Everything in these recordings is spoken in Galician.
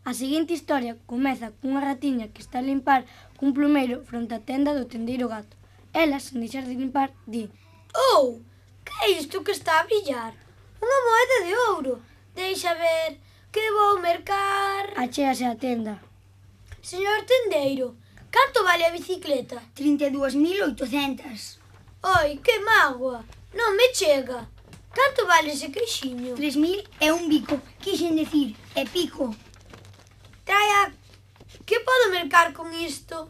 A seguinte historia comeza cunha ratiña que está a limpar cun plumeiro fronte á tenda do tendeiro gato. Ela, sen deixar de limpar, di: Oh, que é isto que está a brillar? Unha moeda de ouro. Deixa ver, que vou mercar. Achéase á tenda. Señor tendeiro, canto vale a bicicleta? 32.800. Oi, que mágoa, non me chega. Canto vale ese queixiño? 3.000 é un bico, quixen decir, é pico. Traia, que podo mercar con isto?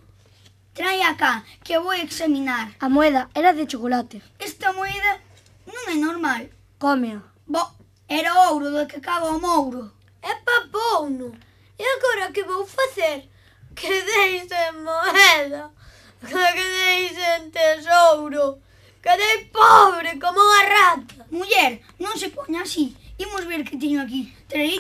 Trae acá, que vou examinar. A moeda era de chocolate. Esta moeda non é normal. Cómea. Bo, era ouro do que caga o mouro. É papouno. E agora que vou facer? Que deixen moeda, que deixen tesouro. Quedei pobre como unha rata. Muller, non se poña así. Imos ver que teño aquí. Traí.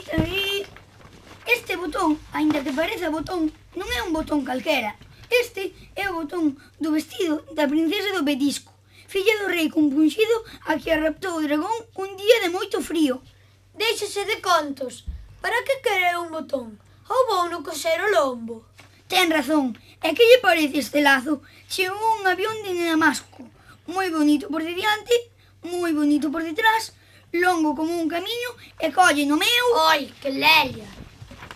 Este botón, aínda que pareza botón, non é un botón calquera. Este é o botón do vestido da princesa do Petisco, filla do rei compunxido a que a raptou o dragón un día de moito frío. Déixase de contos. Para que quere un botón? Ou vou no coser o lombo? Ten razón. E que lle parece este lazo? Chegou un avión de Damasco. Moi bonito por diante, moi bonito por detrás, longo como un camiño e colle no meu... Oi, que lelia!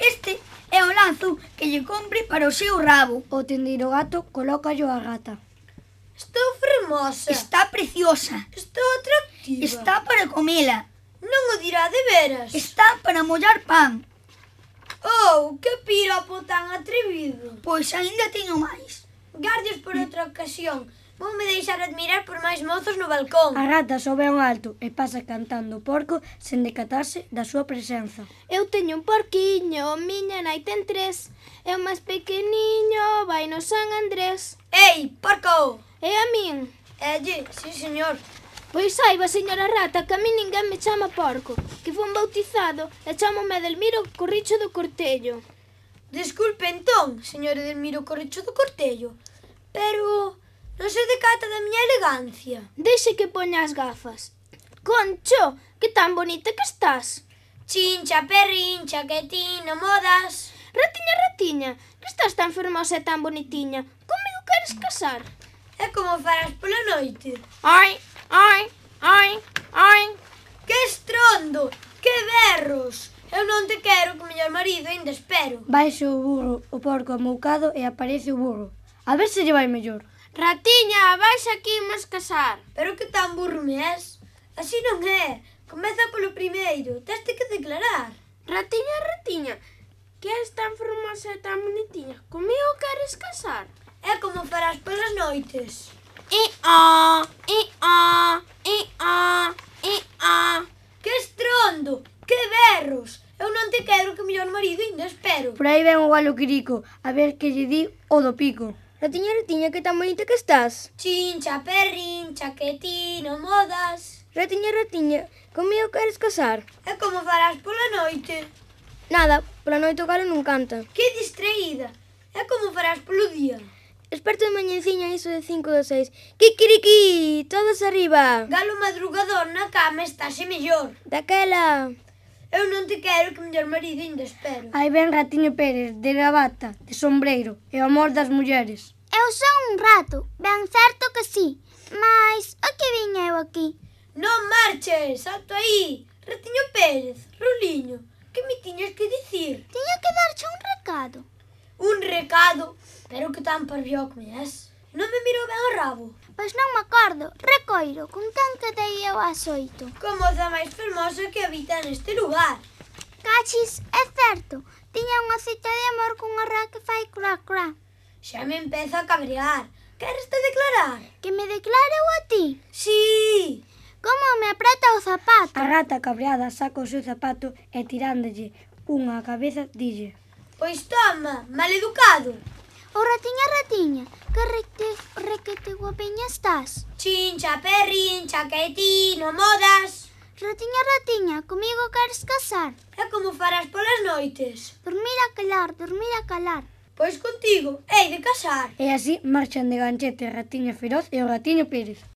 Este é o lazo que lle compre para o seu rabo. O tendeiro gato colócallo á gata. Estou fermosa. Está preciosa. Estou atractiva. Está para comela. Non o dirá de veras. Está para mollar pan. Oh, que piropo tan atrevido. Pois aínda teño máis. Gardios por outra ocasión. Voume deixar admirar por máis mozos no balcón. A rata sobe a un alto e pasa cantando o porco sen decatarse da súa presenza. Eu teño un porquiño, miña nai ten 3. É o máis pequeniño, vai no San Andrés. Ei, porco! E a min? Elle, sí, señor. Pois saiba, señora rata, que a min ninguén me chama porco, que fun bautizado e chamome Edelmiro Corricho do Cortello. Desculpe entón, señor Edelmiro Corricho do Cortello, pero non se decata da miña elegancia. Deixe que poña as gafas. Concho, que tan bonita que estás. Chincha, perrincha, que ti non modas. Ratiña, que estás tan fermosa e tan bonitiña. Comigo queres casar? É como farás pola noite. Ai. Que estrondo, que berros. Eu non te quero que o mellor marido ainda espero. Baixe o burro, o porco amoucado e aparece o burro. A ver se lle vai mellor. Ratiña, vais aquí, imos casar. Pero que tan burro me és? Así non é. Comeza polo primeiro, teste que declarar. Ratiña, que és tan fermosa e tan bonitiña. Comigo queres casar? É como farás polas noites. Que estrondo, que berros. Eu non te quero que o mellor marido ainda espero. Por aí ven o galo Quirico, a ver que lle di o do pico. Ratiña, que tan bonita que estás. Chincha, perrincha, que ti non modas. Ratiña, comigo queres casar? É como farás pola noite. Nada, pola noite o galo non canta. Que distraída. É como farás polo día. Esperto de mañeciña iso de 5 ou 6. Kikiriki, todos arriba. Galo madrugador na cama estáse mellor. Daquela. Eu non te quero que o mellor marido ainda espero. Aí ven Ratiño Pérez, de gravata, de sombreiro, e o amor das mulleres. Eu son un rato, ben certo que sí, mas o que viña eu aquí? Non marches, salto aí. Ratiño Pérez, Ruliño, que me tiñas que dicir? Tiña que darche un recado. Un recado? Pero que tan parvió que me és. Non me mirou ben o rabo. Pois non me acordo, recoiro, con quen quedei eu ás 8. Como a máis fermosa que habita neste lugar. Cachis, é certo, tiña unha cita de amor cunha rá que fai crá. Xa me empeza a cabrear. Queres te declarar? Que me declare eu a ti? Sí. Como me apreta o zapato? A rata cabreada saca o seu zapato e tirándolle unha á cabeza dille: Pois toma, maleducado. O ratiña, que requete guapiña estás. Chincha, perrincha, que ti non modas. Ratiña, comigo queres casar? É como farás polas noites. Dormir a calar. Pois contigo, hei de casar. E así marchan de ganchete a Ratiña Feroz e o Ratiño Pérez.